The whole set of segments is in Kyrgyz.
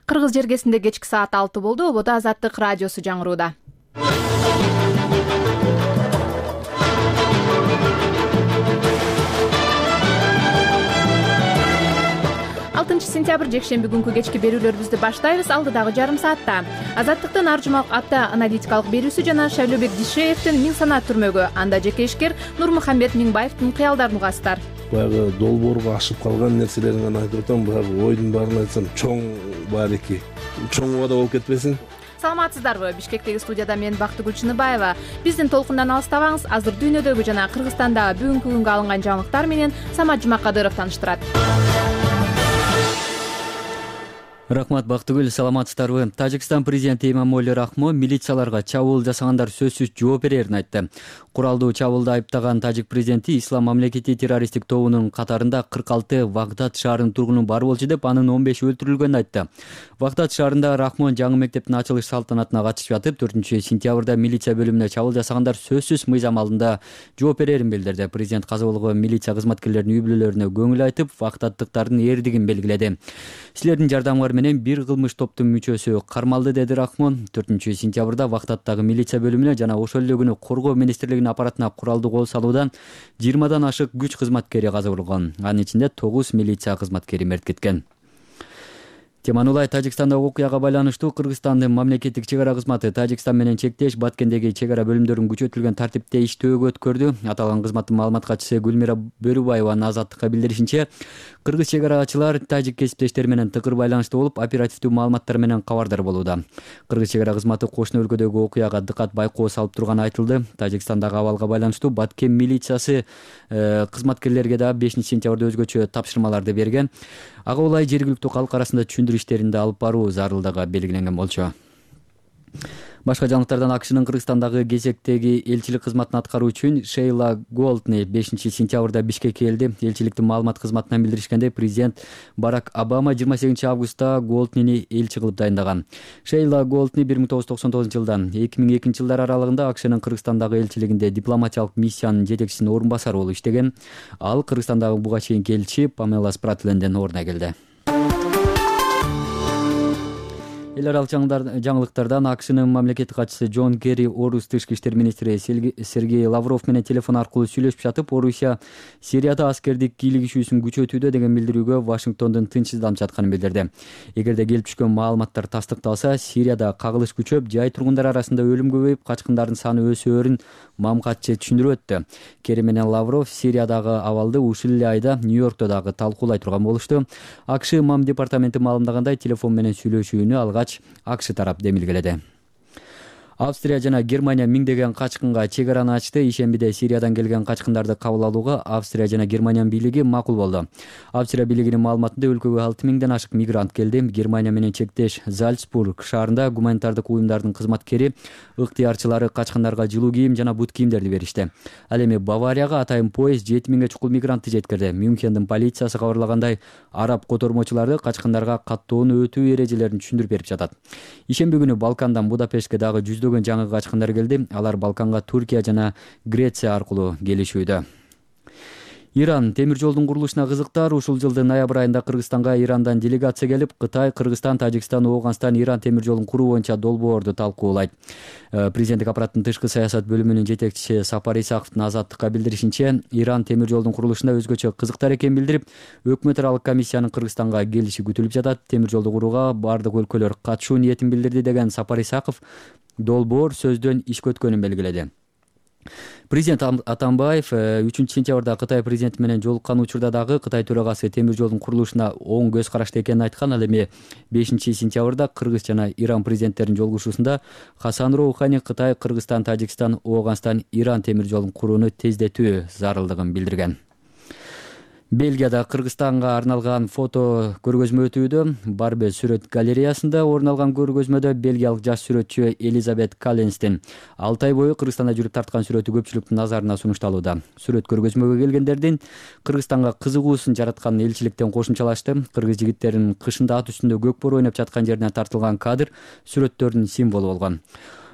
Кыргыз жергесинде кечки саат 6 болду. Ободо Азаттык радиосу жаңырууда. 6 сентябрь жекшемби күнкү кечки берүүлөрүбүздү баштайбыз. Алдыдагы жарым саатта Азаттыктын ар жумалык атта аналитикалык берүүсү жана Шайлообек Дишеевдин миң санаа түрмөгү, анда жеке ишкер Нурмухамбет Миңбаевдин кыялдарын угасыздар. Баягы долбоорго ашып калган нерселерин гана айтып атам. Баягы ойдун баарын айтсам, чоң баарики. Чоң убада болуп кетпесин. Саламатсыздарбы? Бишкектеги студияда мен Бактыгүл Чыныбаева. Биздин толкундан алыстабаңыз. Азыр дүйнөдөгү жана Кыргызстандагы бүгүнкү күнгө алынган жаңылыктар менен Самат Жумакадыров тааныштырат. Рахмат, Бактыгүл, саламатсыздарбы? Тажикстан президенти Эмомали Рахмон милицияларга чабуул жасагандар сөзсүз жооп берерин айтты. Куралдуу чабуулда айыптаган тажик президенти Ислам мамлекети террористтик тобунун катарында 46 Вагдад шаарынын тургуну бар болчу деп, анын 15 өлтүрүлгөнүн айтты. Вагдад шаарында Рахмон жаңы мектептин ачылыш салтанатына катышып жатып, 4-сентябрда милиция бөлүмүнө чабуул жасагандар сөзсүз мыйзам алдында жооп берерин билдирди. Президент каза болгон милиция кызматкерлеринин үй-бүлөлөрүнө көңүл айтып, вагдаддыктардын эрдигин белгиледи. Силердин жардамыңар менен бир кылмыш топтун мүчөсү кармалды, деди Рахмон. 4-сентябрда Вагдаддагы милиция бөлүмүнө жана ошол эле күнү Коргоо министрлигинин аппаратына куралдуу кол салуудан 20дан ашык күч кызматкери каза болгон. Анын ичинде 9 милиция кызматкери мерт кеткен. Теманулай, Тажикстандагы окуяга байланыштуу Кыргызстандын мамлекеттик чек ара кызматы Тажикстан менен чектеш Баткендеги чек ара бөлүмдөрүн күчөтүлгөн тартипте иштөөгө өткөрдү. Аталган кызматтын маалымат катчысы Гүлмира Бөрүбаеванын Азаттыкка билдиришинче, кыргыз чек арачылар тажик кесиптештери менен тыкыр байланышта болуп, оперативдүү маалыматтар менен кабардар болууда. Кыргыз чек ара кызматы кошуна өлкөдөгү окуяга дыкат байкоо салып турганы айтылды. Тажикстандагы абалга байланыштуу Баткен милициясы кызматкерлерге да 5-сентябрда өзгөчө тапшырмаларды берген. Ага улай жергиликтүү калк арасында түшүндүрүү иштеринде алып баруу зарылдыгы белгиленген болчу. Башка жаңылыктардан АКШнын Кыргызстандагы кезектеги элчилик кызматын аткаруу үчүн Шейла Голдни 5-сентябрда Бишкекке келди. Элчиликтин маалымат кызматынан билдиришкенде, президент Барак Обама 28-августта Голднини элчи кылып дайындаган. Шейла Голдни 1999-жылдан 2002-жылдар аралыгында АКШнын Кыргызстандагы элчилигинде дипломатиялык миссиянын жетекчисинин орун басары болуп иштеген. Ал Кыргызстандагы буга чейинки элчи Памела Спратленден ордуна келди. Эл аралык жаңылыктардан АКШнын мамлекеттик катчысы Джон Керри Орус тышкы иштер министри Сергей Лавров менен телефон аркылуу сүйлөшүп жатып, Орусия Сирияда аскердик кийлигишүүсүн күчөтүүдө деген билдирүүгө Вашингтондун тынчсызданып жатканын билдирди. Эгерде келип түшкөн маалыматтар тастыкталса, Сирияда кагылыш күчөп, жай тургундар арасында өлүм көбөйүп, качкындардын саны өсөөрүн мамкатчы түшүндүрүп өттү. Керри менен Лавров Сириядагы абалды ушул эле айда Нью-Йоркто дагы талкуулай турган болушту. АКШ мам департаменти маалымдагандай, телефон менен сүйлөшүүнү алгач АКШ тарап демилгеледи. Австрия жана Германия миңдеген качкынга чек араны ачты. Ишембиде Сириядан келген качкындарды кабыл алууга Австрия жана Германиянын бийлиги макул болду. Австрия бийлигинин маалыматында өлкөгө 6000ден ашык мигрант келди. Германия менен чектеш Зальцбург шаарында гуманитардык уюмдардын кызматкери ыктыярчылары качкындарга жылуу кийим жана бут кийимдерди беришти. Ал эми Баварияга атайын поезд 7000ге чукул мигрантты жеткирди. Мюнхендин полициясы кабарлагандай, араб котормочулары качкындарга каттоонун өтүү эрежелерин түшүндүрүп берип жатат. Ишемби күнү Балкандан Будапештке дагы жаңы качкындар келди. Алар Балканга Туркия жана Греция аркылуу келишүүдө. Иран темир жолдун курулушуна кызыктар. Ушул жылдын ноябрь айында Кыргызстанга Ирандан делегация келип, Кытай, Кыргызстан, Тажикстан, Ооганстан, Иран темир жолун куруу боюнча долбоорду талкуулайт. Президенттик аппараттын тышкы саясат бөлүмүнүн жетекчиси Сапар Исаковдун Азаттыкка билдиришинче, Иран темир жолдун курулушунда өзгөчө кызыктар экенин билдирип, өкмөт аралык комиссиянын Кыргызстанга келиши күтүлүп жатат. Темир жолду курууга бардык өлкөлөр катышуу ниетин билдирди деген Сапар Исаков долбоор сөздөн ишке өткөнүн белгиледи. Президент Атамбаев 3-сентябрда Кытай президенти менен жолуккан учурда дагы Кытай төрагасы темир жолдун курулушуна оң көз карашта экенин айткан. Ал эми 5-сентябрда Кыргыз жана Иран президенттеринин жолугушуусунда Хасан Роухани Кытай, Кыргызстан, Тажикстан, Ооганстан, Иран темир жолун курууну тездетүү зарылдыгын билдирген. Бельгияда Кыргызстанга арналган фото көргөзмө өтүүдө. Барбе сүрөт галереясында орун алган көргөзмөдө бельгиялык жаш сүрөтчү Элизабет Калленстин 6 ай бою Кыргызстанда жүрүп тарткан сүрөтү көпчүлүктүн назарына сунушталууда. Сүрөт көргөзмөгө келгендердин Кыргызстанга кызыгуусун жараткан элчиликтен кошумчалашты. Кыргыз жигиттеринин кышында ат үстүндө көк бор ойноп жаткан жеринен тартылган кадр сүрөттөрдүн символу болгон.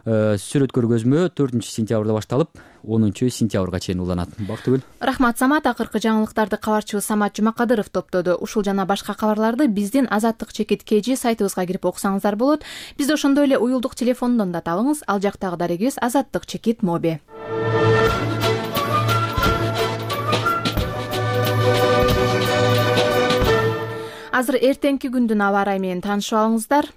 Сүрөт көргөзмө 4-сентябрда башталып 10-сентябрга чейин уланат. Бактыгүл. Рахмат Самат. Акыркы жаңылыктарды кабарчыбыз Самат Жумакадыров топтоду. Ушул жана башка кабарларды биздин Азаттык чекит KG сайтыбызга кирип окусаңыздар болот. Бизди ошондой эле уюлдук телефондон да табыңыз. Ал жактагы дарегибиз Азаттык чекит моби. Азыр эртеңки күндүн аба ырайы менен таанышып алыңыздар.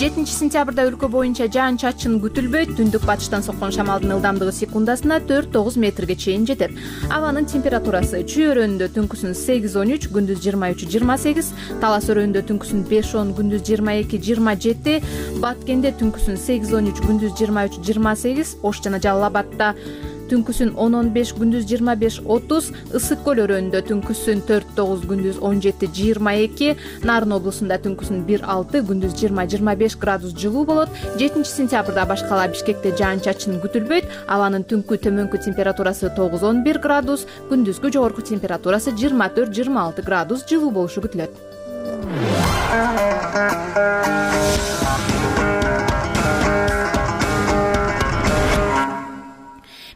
7-сентябрда өлкө боюнча жаан-чачын күтүлбөйт. Түндүк батыштан соккон шамалдын ылдамдыгы секундасына 4-9 метрге чейин жетет. Абанын температурасы чүй өрөөнүндө түнкүсүн 8-13, күндүз 23-28, Талас өрөөнүндө түнкүсүн 5-10, күндүз 22-27, Баткенде түнкүсүн 8-13, күндүз 23-28, Ош жана Жалал Абадта түнкүсүн 10-15, күндүз 25-30, Ысык көл өрөөнүндө түнкүсүн 4-9, күндүз 17-22, Нарын облусунда түнкүсүн 1-6, күндүз 20-25 градус жылуу болот. 7-сентябрда башкала Бишкекте жаан-чачын күтүлбөйт. Абанын түнкү төмөнкү температурасы 9-11 градус, күндүзгү жогорку температурасы 24-26 градус жылуу болушу күтүлөт.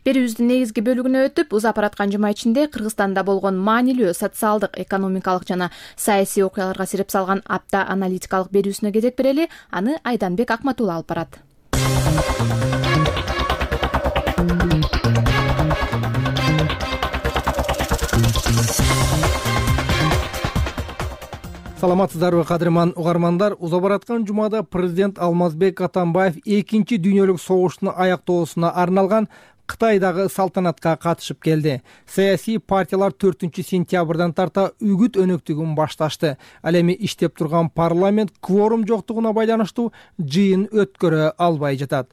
Берүүбүздүн негизги бөлүгүнө өтүп, узап бараткан жума ичинде Кыргызстанда болгон маанилүү социалдык, экономикалык жана саясий окуяларга сирип салган апта аналитикалык берүүсүнө кезек берели. Аны Айданбек Акматулла алып барат. Саламатсыздарбы кадырман угармандар. Узап бараткан жумада президент Алмазбек Атамбаев 2 дүйнөлүк согуштун аяктоосуна арналган Кытайдагы салтанатка катышып келди. Саясий партиялар 4-сентябрдан тарта үгүт өнөктүгүн башташты. Ал эми иштеп турган парламент кворум жоктугуна байланыштуу жыйын өткөрө албай жатат.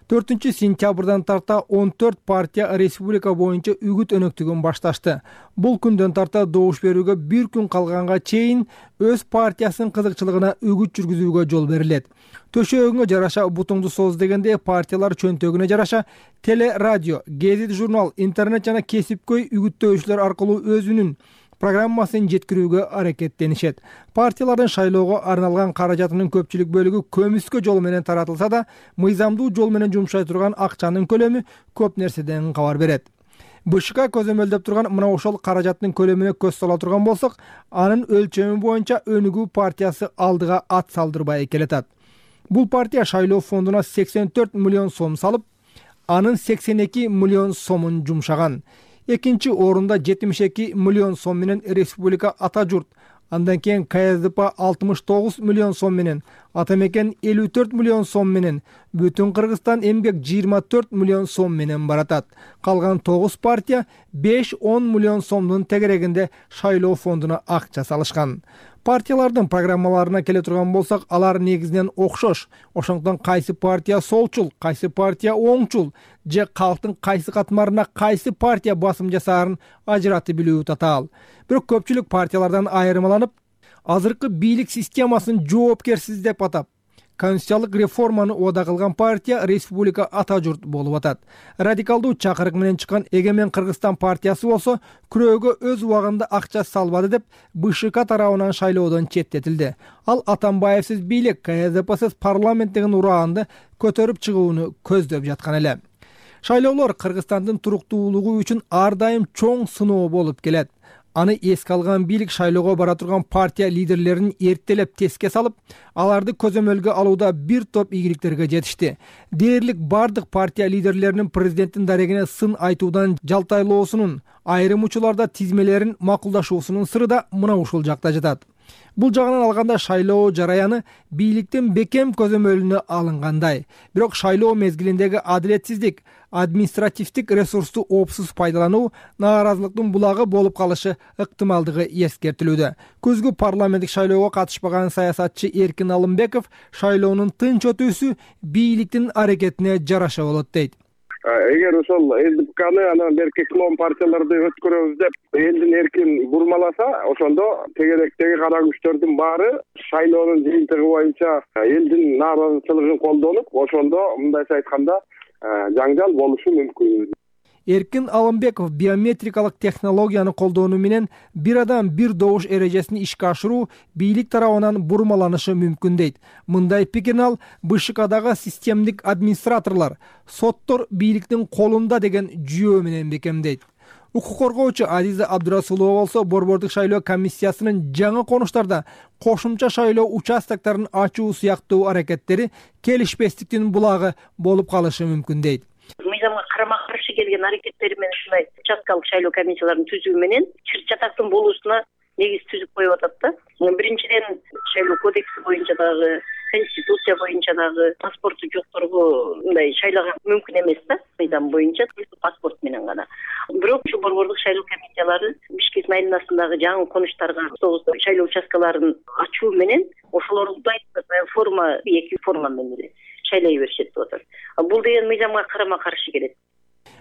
4-сентябрдан тарта 14 партия республика боюнча үгүт өнөктүгүн башташты. Бул күндөн тарта добуш берүүгө 1 күн калганга чейин өз партиясынын кызыкчылыгына үгүт жүргүзүүгө жол берилет. Төшөгүңө жараша бутуңду соз дегенде партиялар чөнтөгүнө жараша теле, радио, гезит, журнал, интернет жана кесипкөй үгүттөөчүлөр аркылуу өзүнүн программасын жеткирүүгө аракеттенишет. Партиялардын шайлоого арналган каражатынын көпчүлүк бөлүгү көмүскө жол менен таратылса да, мыйзамдуу жол менен жумшай турган акчанын көлөмү көп нерседен кабар берет. БШК көзөмөлдөп турган мына ошол каражаттын көлөмүнө көз сала турган болсок, анын өлчөмү боюнча Өнүгүү партиясы алдыга ат салдырбай келатат. Бул партия шайлоо фондуна 84 миллион сом салып, анын 82 миллион сомун жумшаган. Экинчи орунда 72 миллион сом менен Республика Ата журт, андан кийин КСДП 69 миллион сом менен, Атамекен 54 миллион сом менен, Бүтүн Кыргызстан эмгек 24 миллион сом менен баратат. Калган 9 партия 5-10 миллион сомдун тегерегинде шайлоо фондуна акча салышкан. Партиялардын программаларына келе турган болсак, алар негизинен окшош. Ошондон кайсы партия солчул, кайсы партия оңчул, же калктын кайсы катмарына кайсы партия басым жасаарын ажыратып билүү татаал. Бирок көпчүлүк партиялардан айырмаланып, азыркы бийлик системасын жоопкерсиз деп атап, конституциялык реформаны убада кылган партия Республика Ата журт болуп атат. Радикалдуу чакырык менен чыккан Эгемен Кыргызстан партиясы болсо, күрөөгө өз убагында акча салбады деп БШК тарабынан шайлоодон четтетилди. Ал Атамбаевсиз бийлик, КСДПсиз парламент деген ураанды көтөрүп чыгууну көздөп жаткан эле. Шайлоолор Кыргызстандын туруктуулугу үчүн ар дайым чоң сыноо болуп келет. Аны эске алган бийлик шайлоого бара турган партия лидерлерин эртелеп теске салып, аларды көзөмөлгө алууда бир топ ийгиликтерге жетишти. Дээрлик бардык партия лидерлеринин президенттин дарегине сын айтуудан жалтайлоосунун, айрым учурларда тизмелерин макулдашуусунун сыры да мына ушул жакта жатат. Бул жагынан алганда шайлоо жараяны бийликтин бекем көзөмөлүнө алынгандай. Бирок шайлоо мезгилиндеги адилетсиздик, административдик ресурсту оопсуз пайдалануу нааразылыктын булагы болуп калышы ыктымалдыгы эскертилүүдө. Күзгү парламенттик шайлоого катышпаган саясатчы Эркин Алымбеков шайлоонун тынч өтүүсү бийликтин аракетине жараша болот дейт. Эгер ошол ЛДПКны анан берки клон партияларды өткөрөбүз деп элдин эркин бурмаласа, ошондо тегеректеги кара күчтөрдүн баары шайлоонун жыйынтыгы боюнча элдин нааразычылыгын колдонуп, ошондо мындайча айтканда жаңжал болушу мүмкүн. Эркин Алымбеков биометрикалык технологияны колдонуу менен бир адам бир добуш эрежесин ишке ашыруу бийлик тарабынан бурмаланышы мүмкүн дейт. Мындай пикирин ал БШКдагы системдик администраторлор, соттор бийликтин колунда деген жүйө менен бекемдейт. Укук коргоочу Азиза Абдурасулова болсо борбордук шайлоо комиссиясынын жаңы конуштарда кошумча шайлоо участоктарын ачуу сыяктуу аракеттери келишпестиктин булагы болуп калышы мүмкүн дейт. Мыйзамга карама каршы келген аракеттери менен ушундай участкалык шайлоо комиссияларын түзүү менен чыр-чатактын болуусуна негиз түзүп коюп атат да. Биринчиден шайлоо кодекси боюнча дагы, конституция боюнча дагы паспорту жокторго мындай шайлага мүмкүн эмес да. Мыйзам боюнча паспорт менен гана. Бирок ушу борбордук шайлоо комиссиялары Бишкек айылынасындагы жаңы конуштарга шайлоо участкаларын ачуу менен ошолорду форма, эки форма менен шайлай беришет деп атат. Бул деген мыйзамга карама каршы келет.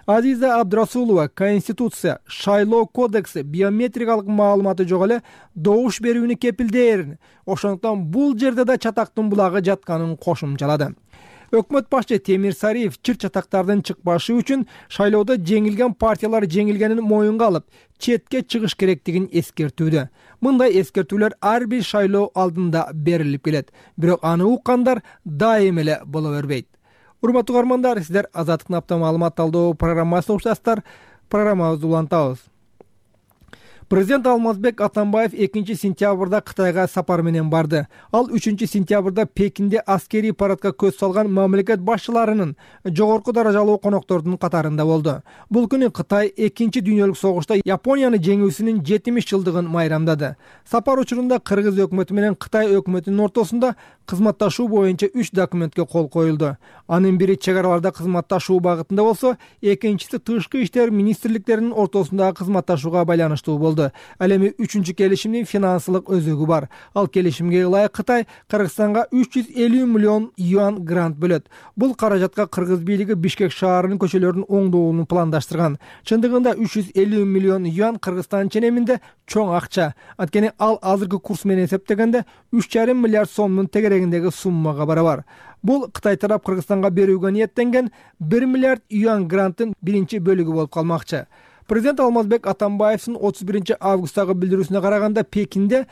Азиза Абдурасулова Конституция, шайлоо кодекси биометрикалык маалыматы жок эле добуш берүүнү кепилдээрин, ошондуктан бул жерде да чатактын булагы жатканын кошумчалады. Өкмөт башчы Темир Сариев чыр-чатактардын чыкпашы үчүн шайлоодо жеңилген партиялар жеңилгенин моюнга алып, четке чыгыш керектигин эскертүүдө. Мындай эскертүүлөр ар бир шайлоо алдында берилип келет, бирок аны уккандар дайым эле боло бербейт. Урматтуу угармандар, сиздер Азаттыктын апта маалымат талдоо программасын уктасыздар. Программабызды улантабыз. Президент Алмазбек Атамбаев 2-сентябрда Кытайга сапар менен барды. Ал 3-сентябрда Пекинде аскерий парадка көз салган мамлекет башчыларынын жогорку даражалуу коноктордун катарында болду. Бул күнү Кытай 2-дүйнөлүк согушта Японияны жеңүүсүнүн 70 жылдыгын майрамдады. Сапар учурунда Кыргыз өкмөтү менен Кытай өкмөтүнүн ортосунда кызматташуу боюнча 3 документке кол коюлду. Анын бири чек араларда кызматташуу багытында болсо, экинчиси тышкы иштер министрликтеринин ортосундагы кызматташууга байланыштуу болду. Ал эми 3-чү келишимдин финансылык өзөгү бар. Ал келишимге ылайык Кытай Кыргызстанга 350 миллион юан грант бөлөт. Бул каражатка Кыргыз бийлиги Бишкек шаарынын көчөлөрүнүн оңдоолун пландаштырган. Чындыгында 350 миллион юан Кыргызстан ченеминде чоң акча. Анткени ал азыркы курс менен эсептегенде 3,5 миллиард сомдун тегерегиндеги суммага барабар. Бул Кытай тарап Кыргызстанга берүүгө ниеттенген 1 миллиард юан гранттын биринчи бөлүгү болуп калмакчы. Президент Алмазбек Атамбаевдин 31 августтагы билдирүүсүнө караганда Пекинде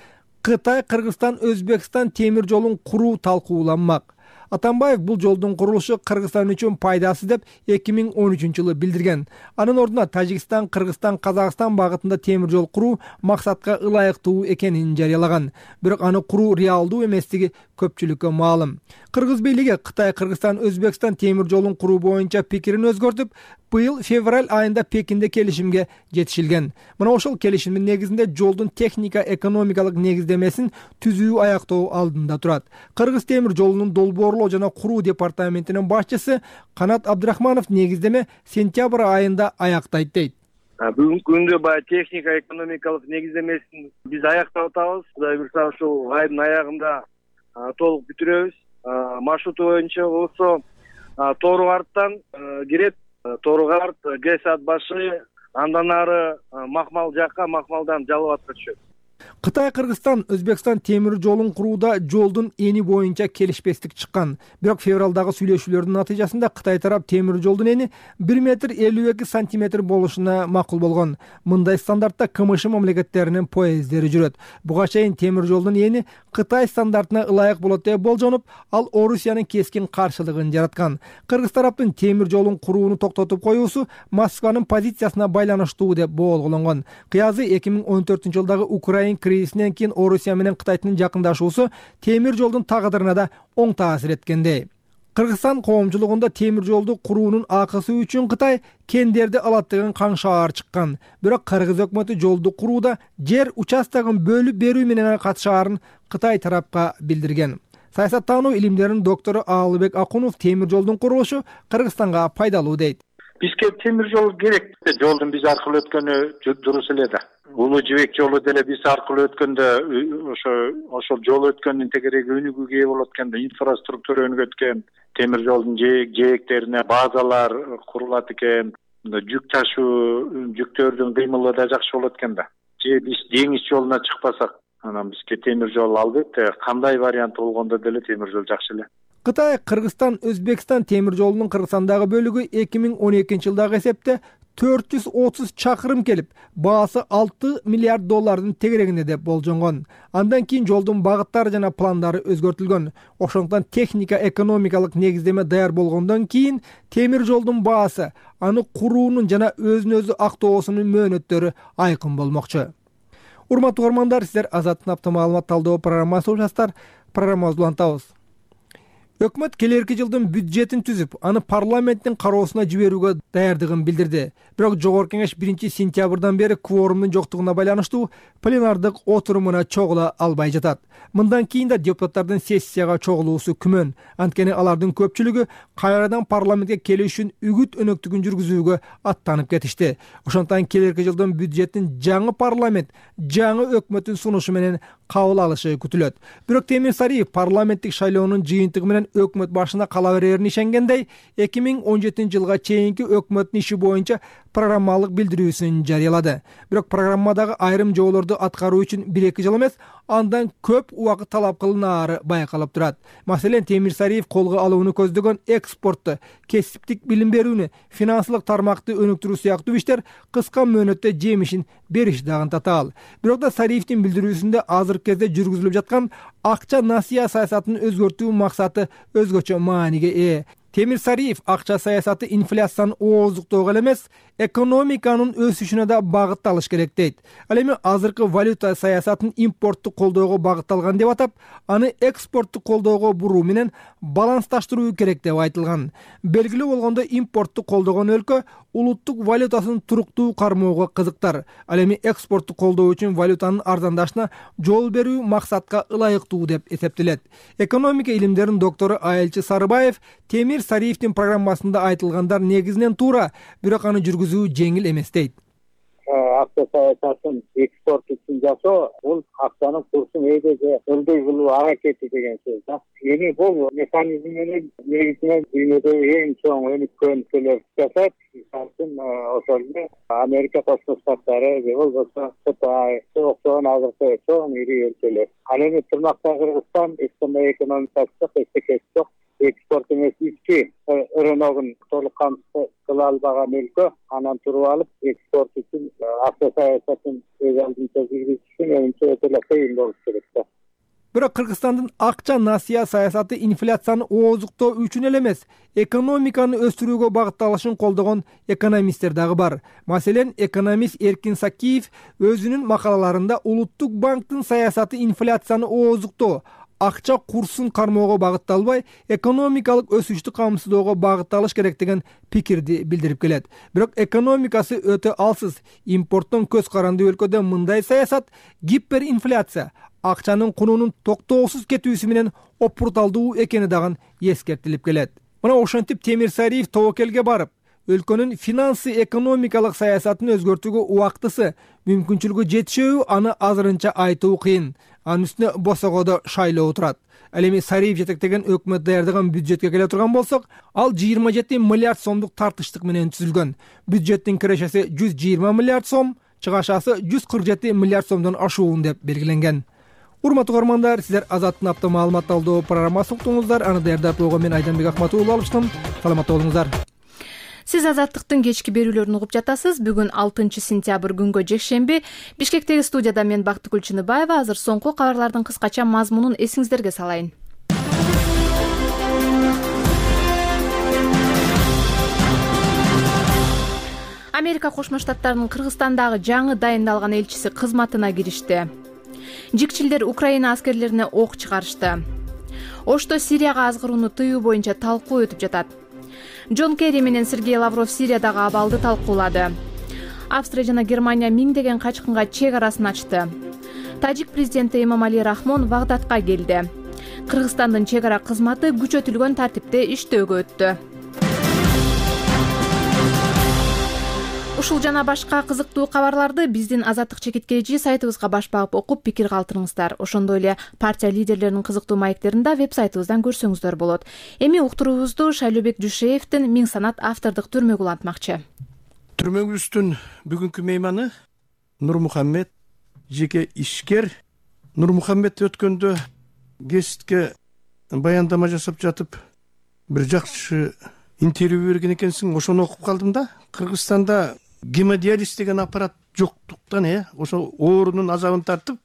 Кытай, Кыргызстан, Өзбекстан темир жолун куруу талкууланмак. Атамбаев бул жолдун курулушу Кыргызстан үчүн пайдасыз деп 2013-жылы билдирген. Анын ордуна Тажикстан, Кыргызстан, Казакстан багытында темир жол куруу максатка ылайыктуу экенин жарыялаган. Бирок аны куруу реалдуу эместиги көпчүлүккө маалым. Кыргыз бийлиги Кытай, Кыргызстан, Өзбекстан темир жолун куруу боюнча пикирин өзгөртүп, быйыл февраль айында Пекинде келишимге жетишилген. Мына ошол келишимдин негизинде жолдун техника-экономикалык негиздемесин түзүү аяктоо алдында турат. Кыргыз темир жолунун долбоорлоо жана куруу департаментинин башчысы Канат Абдрахманов негиздеме сентябрь айында аяктайт дейт. Бүгүнкү күндө баягы техника-экономикалык негиздемесин биз аяктап атабыз. Кудай буйрса ушул айдын аягында толук бүтүрөбүз. Маршруту боюнча болсо Тооругарттан кирет, Тооругарт, Гесат башы, андан ары Макмал жакка, Макмалдан Жалал-Абадка түшөт. Кытай, Кыргызстан, Өзбекстан темир жолун курууда жолдун эни боюнча келишпестик чыккан. Бирок февралдагы сүйлөшүүлөрдүн натыйжасында Кытай тарап темир жолдун эни 1,52 метр болушуна макул болгон. Мындай стандартта КМШ мамлекеттеринин поезддери жүрөт. Буга чейин темир жолдун эни Кытай стандартына ылайык болот деп болжонуп, ал Орусиянын кескин каршылыгын жараткан. Кыргыз тараптын темир жолун курууну токтотуп коюусу Москванын позициясына байланыштуу деп боолголонгон. Кыязы 2014-жылдагы Украина кризисинен кийин Орусия менен Кытайдын жакындашуусу темир жолдун тагдырына да оң таасир эткендей. Кыргызстан коомчулугунда темир жолду куруунун акысы үчүн Кытай кендерди алаттыгын каңшаар чыккан. Бирок Кыргыз өкмөтү жолду курууда жер участогун бөлүп берүү менен катышаарын Кытай тарапка билдирген. Саясаттануу илимдеринин доктору Аалыбек Акунов темир жолдун курулушу Кыргызстанга пайдалуу дейт. Бизге темир жол керек. Жолдун биз аркылуу өткөнү дурус эле да. Улуу жибек жолу деле биз аркылуу өткөндө ошол жол өткөндүн тегереги өнүгүүгө ээ болот экен да, инфраструктура өнүгөт экен, темир жолдун жээктерине базалар курулат экен, жүк ташуу, жүктөрдүн кыймылы да жакшы болот экен да. Же биз деңиз жолуна чыкпасак, анан бизге темир жол албетте кандай вариант болгондо деле темир жол жакшы эле. Кытай, Кыргызстан, Өзбекстан темир жолунун Кыргызстандагы бөлүгү 2012-жылдагы эсепте 430 чакырым келип, баасы $6 миллиард тегерегинде деп болжонгон. Андан кийин жолдун багыттары жана пландары өзгөртүлгөн. Ошондуктан техника экономикалык негиздеме даяр болгондон кийин темир жолдун баасы, аны куруунун жана өзүн-өзү актоосунун мөөнөттөрү айкын болмокчу. Урматтуу угармандар, сиздер Азаттын автомаалымат талдоо программасы угушасыздар. Программабызды улантабыз. Өкмөт келерки жылдын бюджетин түзүп, аны парламенттин кароосуна жиберүүгө даярдыгын билдирди. Бирок жогорку кеңеш 1-сентябрдан бери кворумдун жоктугуна байланыштуу пленардык отурумуна чогула албай жатат. Мындан кийин да депутаттардын сессияга чогулуусу күмөн. Анткени алардын көпчүлүгү кайрадан парламентке келүү үчүн үгүт өнөктүгүн жүргүзүүгө аттанып кетишти. Ошондуктан келерки жылдын бюджетин жаңы парламент, жаңы өкмөттүн сунушу менен кабыл алышы күтүлөт. Бирок Темир Сариев парламенттик шайлоонун жыйынтыгы менен өкмөт башына кала берерин ишенгендей, 2017 жылга чейинки өкмөттүн иши боюнча программалык билдирүүсүн жарыялады. Бирок программадагы айрым жоолорду аткаруу үчүн 1-2 жыл эмес, андан көп убакыт талап кылынаары байкалып турат. Маселен, Темир Сариев колго алууну көздөгөн экспортту, кесиптик билим берүүнү, финансылык тармакты өнүктүрүү сыяктуу иштер кыска мөөнөттө жемишин бериш дагы татаал. Бирок да Сариевдин билдирүүсүндө азыркы кезде жүргүзүлүп жаткан акча насыя саясатын өзгөртүү максаты өзгөчө мааниге ээ. Темир Сариев акча саясаты инфляциянын ооздуктоого эле эмес, экономиканын өсүшүнө да багытталыш керек дейт. Ал эми азыркы валюта саясатын импортту колдоого багытталган деп атап, аны экспортту колдоого буруу менен балансташтыруу керек деп айтылган. Белгилүү болгондо импортту колдогон өлкө улуттук валютасын туруктуу кармоого кызыктар. Ал эми экспортту колдоо үчүн валютанын арзандашына жол берүү максатка ылайыктуу деп эсептелет. Экономика илимдеринин доктору Айылчы Сарыбаев Темир Сариевдин программасында айтылгандар негизинен туура, бирок аны жүргүзүү жеңил эмес дейт. Акча саясатын экспорт үчүн жасоо, бул акчанын курсун эдеге ылдый кылуу аракети деген сөз да. Эми бул механизм менен негизинен дүйнөдөгү эң чоң өнүккөн өлкөлөр жасайт. Мисалы ошол эле Америка Кошмо Штаттары же болбосо Кытай, октогон азыркы чоң ири өлкөлөр. Ал эми тырмакта Кыргызстан экономикасы эстекеси жок. Экспорт эмес ички рыногун толук камсыз кыла албаган өлкө, анан туруп алып экспорт үчүн акча саясатын өз алдынча жүргүзүш менимче өтө эле кыйын болуш керек да. Бирок Кыргызстандын акча насыя саясаты инфляцияны ооздуктоо үчүн эле эмес, экономиканы өстүрүүгө багытталышын колдогон экономисттер дагы бар. Маселен, экономист Эркин Сакиев өзүнүн макалаларында улуттук банктын саясаты инфляцияны ооздуктоо, акча курсун кармоого багытталбай, экономикалык өсүштү камсыздоого багытталыш керек деген пикирди билдирип келет. Бирок экономикасы өтө алсыз, импорттон көз каранды өлкөдө мындай саясат гиперинфляция, акчанын кунунун токтоосуз кетүүсү менен опурталдуу экени дагы эскертилип келет. Мына ошентип Темир Сариев тобокелге барып, өлкөнүн финансы экономикалык саясатын өзгөртүүгө убактысы, мүмкүнчүлүгү жетишөбү, аны азырынча айтуу кыйын. Анын үстүнө босогодо шайлоо турат. Ал эми Сариев жетектеген өкмөт даярдаган бюджетке келе турган болсок, ал 27 миллиард сомдук тартыштык менен түзүлгөн. Бюджеттин кирешеси 120 миллиард сом, чыгашасы 147 миллиард сомдон ашуун деп белгиленген. Урматтуу угармандар, сиздер Азаттын автомаалымат талдоо программасын уктуңуздар. Аны даярдап койгон мен Айданбек Акматулов алыштым. Саламатта болуңуздар. Сиз Азаттыктын кечки берүүлөрүн угуп жатасыз. Бүгүн 6 сентябрь күнгө жекшемби. Бишкектеги студияда мен Бактыгүл Чыныбаева. Азыр соңку кабарлардын кыскача мазмунун эсиңиздерге салайын. Америка Кошмо Штаттарынын Кыргызстандагы жаңы дайындалган элчиси кызматына киришти. Жикчилдер Украина аскерлерине ок чыгарышты. Ошто Сирияга азгырууну тыюу боюнча талкуу өтүп жатат. Джон Керри менен Сергей Лавров Сириядагы абалды талкуулады. Австрия жана Германия миңдеген качкынга чек арасын ачты. Тажик президенти Эмомали Рахмон Багдадка келди. Кыргызстандын чек ара кызматы күчөтүлгөн тартипте иштөөгө өттү. Ушул жана башка кызыктуу кабарларды биздин Азаттык чекиткейжи сайтыбызга баш багып окуп пикир калтырыңыздар. Ошондой эле партия лидерлеринин кызыктуу маектерин да веб-сайтыбыздан көрсөңүздөр болот. Эми уктуруубузду Шайлообек Дүйшеевдин Миң санат автордук түрмөгү улантмакчы. Түрмөгүбүздүн бүгүнкү мейманы Нурмухаммед, жеке ишкер. Нурмухаммед өткөндө гезитке баяндама жасап жатып, бир жакшы интервью берген экенсиң, ошону окуп калдым да. Кыргызстанда гемодиализ деген аппарат жоктуктан ошо оорунун азабын тартып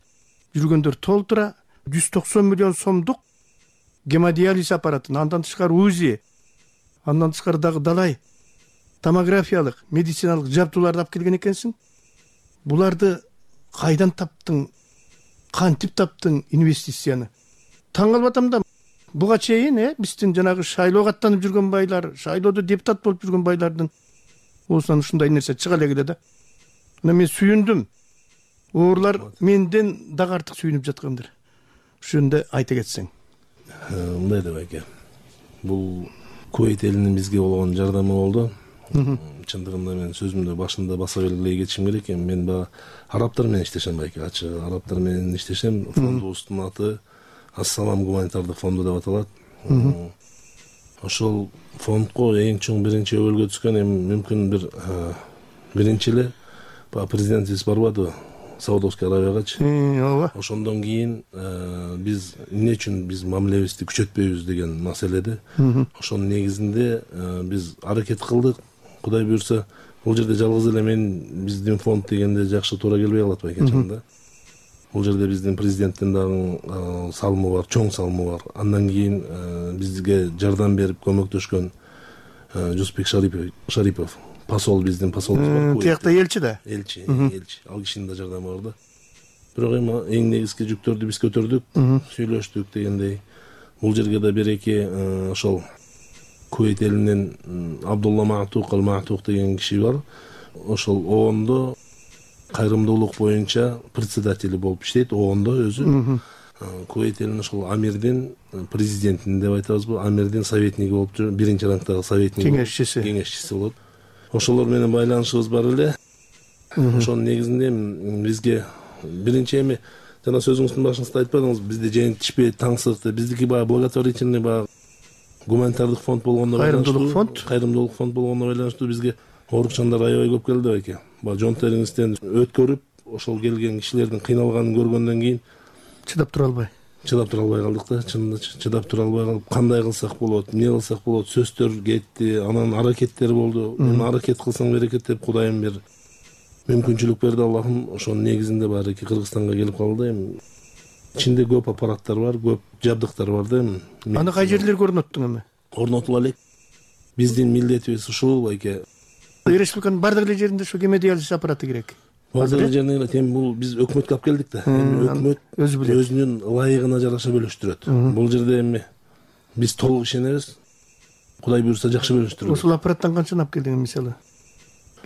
жүргөндөр толтура 190 миллион сомдук гемодиализ аппаратын, андан тышкары УЗИ, андан тышкары дагы далай томографиялык медициналык жабдууларды алып келген экенсиң. Буларды кайдан таптың, кантип таптың инвестицияны? Таң калып атам да. Буга чейин биздин жанагы шайлоого аттанып жүргөн байлар, шайлоодо депутат болуп жүргөн байлардын оосунан ушундай нерсе чыга эле да. Мен сүйүндүм. Оорлар менден дагы артык сүйүнүп жаткандыр. Ушунда айта кетсең. Мындай деп айке. Бул Кувейт элинин бизге болгон жардамы болду. Чындыгында мен сөзүмдө башында баса белгилей кетишим керек экен. Мен баягы арабтар менен иштешем байке. Ачык арабтар менен иштешем. Фондубуздун аты Ассалам гуманитардык фонду деп аталат. Ошол фондко эң чоң биринчи өбөлгө түскөн мүмкүн биринчи эле президентибиз барбады Саудовский Аравиягачы. Ооба. Ошондон кийин биз эмне үчүн биз мамилебизди күчөтпөйбүз деген маселеде. Ошонун негизинде биз аракет кылдык. Кудай буйрса, бул жерде жалгыз эле биздин фонд дегенде жакшы туура келбей калат байке чында. Бул жерде биздин президенттин дагы салымы бар, чоң салымы бар. Андан кийин бизге жардам берип көмөктөшкөн Жусупбек Шарипов, посол, биздин посолубуз бар. Тиякта элчи да. Элчи. Ал кишинин да жардамы бар да. Бирок эң негизги жүктөрдү биз көтөрдүк, сүйлөштүк дегендей. Бул жерге да бир-эки ошол Кувейт элинен Абдулла Маатук ал-Маатук деген киши бар. Ошол оондо кайрымдуулук боюнча председатели болуп иштейт, оондо өзү. Кувейт элинин ошол амирдин президентин деп айтабызбы, амирдин советниги болуп жүрүп, биринчи рангдагы советник, кеңешчиси болот. Ошолор менен байланышыбыз бар эле. Ошонун негизинде бизге биринчи жана сөзүңүздүн башыңызда айтпадыңыз, бизде жентишпей таңсык, биздики баягы благотворительный баягы гуманитардык фонд болгондо кайрымдуулук фонд болгондо байланыштуу бизге оорукчандар аябай көп келди байке. Баягы жон териңизден өткөрүп, ошол келген кишилердин кыйналганын көргөндөн кийин чыдап тура албай калдык да. Чынында чыдап тура албай калып, кандай кылсак болот, эмне кылсак болот, сөздөр кетти, анан аракеттер болду. Мен аракет кылсаң берекет деп Кудайым бир мүмкүнчүлүк берди Аллахым. Ошонун негизинде баарыки Кыргызстанга келип калды. Ичинде көп аппараттар бар, көп жабдыктар бар да. Аны кай жерлерге орноттуң Орнотуп алек. Биздин милдетибиз ушул байке. Республиканын бардык эле жеринде ушу гемодиализ аппараты керек. Бардык жеринде бул биз өкмөткө алып келдик да. Өкмөт өзү билет. Өзүнүн ылайыгына жараша бөлүштүрөт. Бул жерде биз толук ишенебиз. Кудай буйрса жакшы бөлүштүрөт. Ушул аппараттан канчаны алып келдиң мисалы?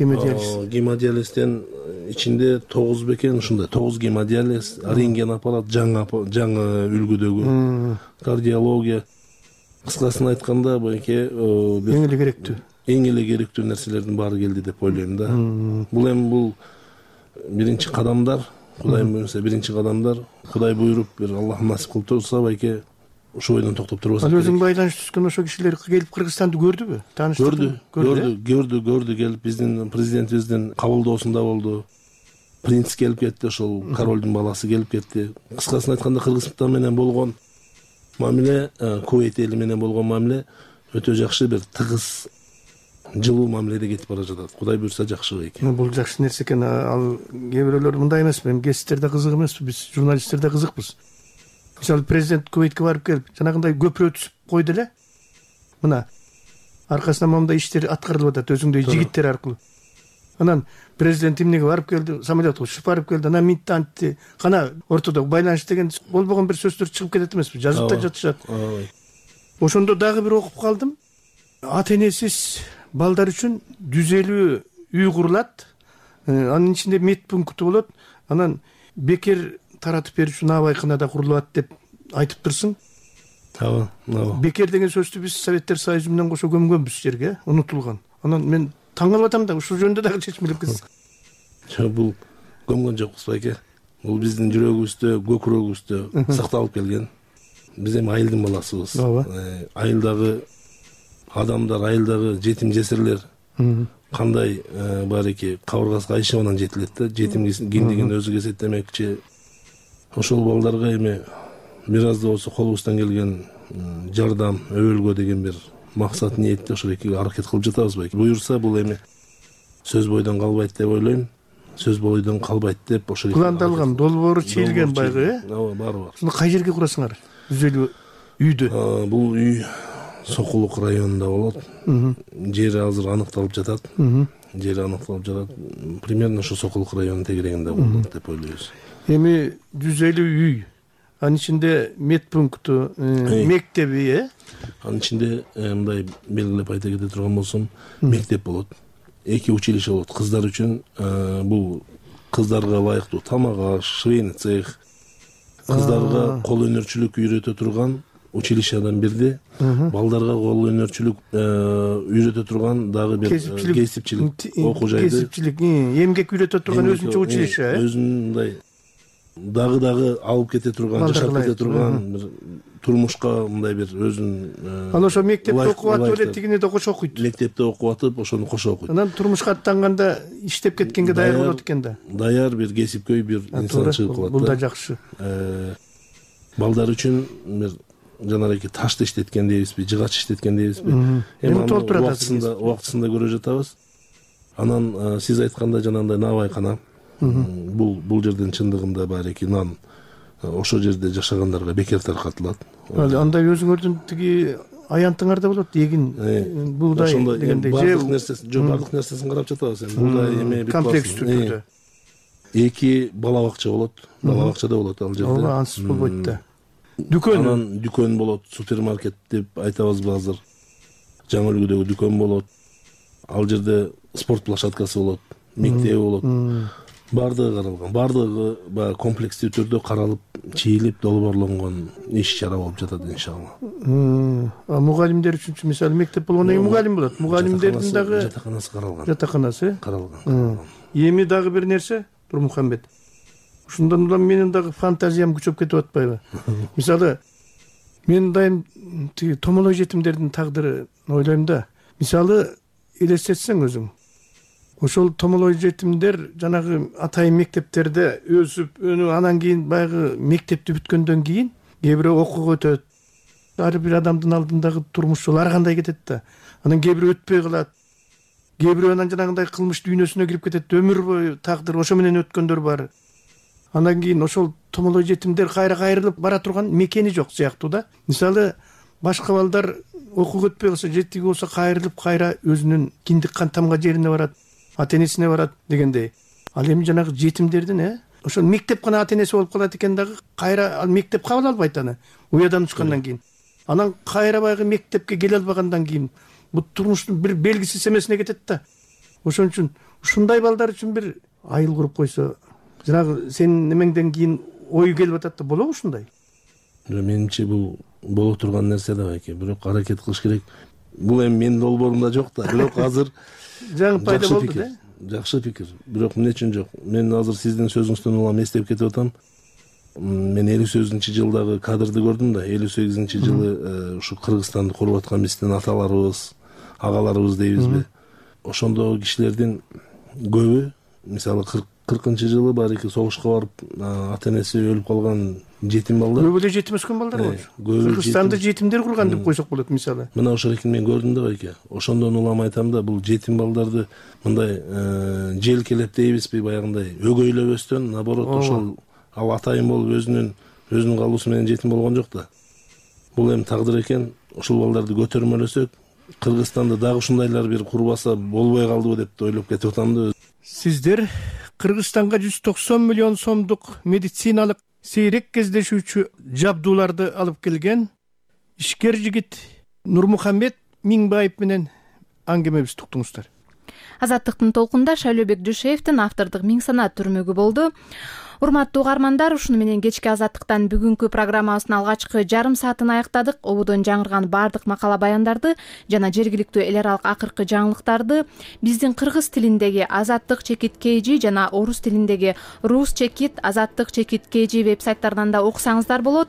Гемодиализден ичинде 9 бекен ушундай 9 гемодиализ, рентген аппарат, жаңы үлгүдөгү, кардиология. Кыскасын айтканда байке эң эле керектүү нерселердин баары келди деп ойлойм да. Бул биринчи кадамдар, Кудайым буйрса биринчи кадамдар. Кудай буйруп бир Аллах насип кылып турса байке ошол бойдон токтоп турбаса. Ал өзүң байланыш түзгөн ошо кишилер келип Кыргызстанды көрдүбү? Көрдү келип биздин президентибиздин кабылдоосунда болду. Принц келип кетти, ошол королдун баласы келип кетти. Кыскасын айтканда Кыргызстан менен болгон мамиле, Кувейт эли менен болгон мамиле өтө жакшы, бир тыгыз, жылуу мамиледе кетип бара жатат. Кудай буйрса жакшы экен. Бул жакшы нерсе экен. Ал кээ бирөөлөр мындай эмес, мен гезиттерде кызык эмеспи, биз журналисттерде кызыкпыз. Мисалы президент Кувейтке барып келип, жанагындай көпүрө түзүп койду эле. Мына аркасынан моундай иштер аткарылып атат өзүңдөй жигиттер аркылуу. Анан президент эмнеге барып келди, самолетко учуп барып келди, анан митантти, кана ортодо байланыш деген болбогон бир сөздөр чыгып кетет эмеспи, жазып да жатышат. Ошондо дагы бир окуп калдым. Ата-энесиз балдар үчүн 150 үй курулат. Анын ичинде мед пункту болот. Анан бекер таратып берүүчү набайканада курулат деп айтып турсуң. Бекер деген сөздү биз Советтер Союзу менен кошо көмгөнбүз жерге, унутулган. Анан мен таң калып атам да, ушул жөнүндө дагы чечмелепсиз. Бул көмгөн жокпуз байке. Бул биздин жүрөгүбүздө, көкүрөгүбүздө сакталып келген. Биз эми айылдын баласыбыз. Айылдагы адамдар, айылдагы жетим жесирлер кандай баарыки кабыргасы кайшыбынан жетилет да. Жетим киндигин өзү кесеттемекчи. Ошол балдарга эми бир аз да болсо колубуздан келген жардам, өбөлгө деген бир максат ниетте ошол эки аракет кылып жатабыз байке. Буюрса бул эми сөз бойдон калбайт деп ойлойм. Сөз бойдон калбайт деп ошол пландалган, долбоору чийилген байгы, ооба, баары бар. Ушуну кай жерге курасыңар? 150 үйдү. Бул үй Сокулук районунда болот. Жери азыр аныкталып жатат. Примерно ошо Сокулук районунун тегерегинде болот деп ойлойбуз. Эми 150 үй. Анын ичинде медпункту, мектеби, Анын ичинде мындай белгилеп айта кете турган болсом, мектеп болот. 2 училище болот. Кыздар үчүн бул кыздарга ылайыктуу тамак аш, швейный цех, кыздарга кол өнөрчүлүк үйрөтө турган училищедан бирди, балдарга кол өнөрчүлүк үйрөтө турган дагы бир кесипчилик окуу жайды. Кесипчилик, эмгек үйрөтө турган өзүнчө училище. Өзүнүн мындай дагы алып кете турган, жашап кете турган бир турмушка мындай бир өзүнүн. Анан ошо мектепте окуп атып эле тигине да кошо окуйт. Мектепте окуп атып, ошону кошо окуйт. Анан турмушка аттанганда иштеп кеткенге даяр болот экен да. Даяр бир кесипкөй бир инсан чыгып калат. Бул да жакшы. Балдар үчүн бир жанагы ташты иштеткен дейбизби, жыгач иштеткен дейбизби. Эми толтурат убактысында көрө жатабыз. Анан сиз айткандай жанагындай набайкана. Бул жерден чындыгында бареки нан ошо жерде жашагандарга бекер таркатылат. Андай өзүңөрдүн тиги аянтыңарда болот, эгин, буудай дегендей. Бардык нерсесин карап жатабыз. Буудай эме бүт комплекс түрдө. 2 бала бакча болот. Бала бакчада болот ал жерде. Ооба, ансыз болбойт да. Дүкөн. Анан дүкөн болот, супермаркет деп айтабызбы азыр. Жаңы үлгүдөгү дүкөн болот. Ал жерде спорт площадкасы болот, мектеби болот. Бардыгы каралган. Бардыгы баягы комплекстүү түрдө каралып, чийилип, долбоорлонгон иш-чара болуп жатат иншалла. Мугалимдер үчүнчү мисалы мектеп болгондон кийин мугалим болот. Мугалимдердин дагы жатаканасы каралган. Жатаканасы каралган. Эми дагы бир нерсе, Турмухамбет. Ушундан улам менин дагы фантазиям күчөп кетип атпайбы? Мисалы, мен дайым тиги томолой жетимдердин тагдырын ойлойм да. Мисалы, элестетсең өзүң. Ошол томолой жетимдер жанагы атайын мектептерде өсүп, өнүп, анан кийин баягы мектепти бүткөндөн кийин кээ бирөө окууга өтөт. Ар бир адамдын алдындагы турмуш жолу ар кандай кетет да. Анан кээ бирөө өтпөй калат. Кээ бирөө анан жанагындай кылмыш дүйнөсүнө кирип кетет. Өмүр бою тагдыр ошо менен өткөндөр бар. Андан кийин ошол томолой жетимдер кайра кайрылып бара турган мекени жок сыяктуу да. Мисалы, башка балдар окууга өтпөй калса, жетиги болсо кайрылып кайра өзүнүн киндик кантамга жерине барат, ата-энесине барат дегендей. Ал эми жанагы жетимдердин, ошол мектеп гана ата-энеси болуп калат экен дагы, кайра ал мектеп кабыл албайт аны. Уядан учкандан кийин. Анан кайра баягы мектепке келе албагандан кийин бул турмуштун бир белгисиз эмесине кетет да. Ошон үчүн ушундай балдар үчүн бир айыл куруп койсо, жанагы сенин немеңден кийин ой келип атат да, болобу ушундай? Менимче бул боло турган нерсе да экен, бирок аракет кылыш керек. Бул эми менин долбоорумда жок да, бирок азыр жаңы пайда болду да. Жакшы пикир, бирок эмне үчүн жок? Мен азыр сиздин сөзүңүздөн улам эстеп кетип атам. Мен 58-жылдагы кадрды көрдүм да, 58-жылы ушу Кыргызстанды куруп аткан биздин аталарыбыз, агаларыбыз дейбизби? Ошондогу кишилердин көбү, мисалы 40-жылы бареки согушка барып, ата-энеси өлүп калган жетим балдар. Көбү эле жетим өскөн балдар болчу. Кыргызстанды жетимдер курган деп койсок болот мисалы. Мына ошол экен мен көрдүм да байке. Ошондон улам айтам да, бул жетим балдарды мындай желкелеп дейбизби, баягындай өгөйлөбөстөн, наоборот, ошол ал атайын болуп өзүнүн калуусу менен жетим болгон жок да. Бул эми тагдыр экен. Ошол балдарды көтөрмөлөсөк, Кыргызстанда дагы ушундайлар бир курбаса болбой калдыбы деп ойлоп кетип атам да. Сиздер Кыргызстанга 190 миллион сомдук медициналык сейрек кездешүүчү жабдууларды алып келген ишкер жигит Нурмухамбет Миңбаев менен аңгемебизди уктуңуздар. Азаттыктын толкунда Шайлообек Дүйшеевдин автордук Миң санаат түрмөгү болду. Урматтуу угармандар, ушуну менен кечки Азаттыктан бүгүнкү программабыздын алгачкы жарым саатын аяктадык. Ободон жаңырган бардык макала баяндарды жана жергиликтүү эл аралык акыркы жаңылыктарды биздин кыргыз тилиндеги Азаттык чекит KG жана орус тилиндеги Рус чекит Азаттык чекит KG веб сайттарынан да окусаңыздар болот.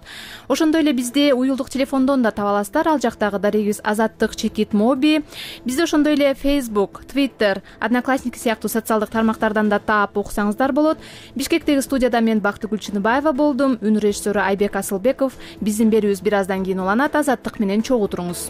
Ошондой эле бизди уюлдук телефондон да таба аласыздар. Ал жактагы дарегибиз Азаттык чекит моби. Бизди ошондой эле Facebook, Twitter, Одноклассники сыяктуу социалдык тармактардан да таап окусаңыздар болот. Бишкектеги студияда мен Бактыгүл Чыныбаева болдум. Үн режиссеру Айбек Асылбеков. Биздин берүүбүз бир аздан кийин уланат. Азаттык менен чогуу туруңуз.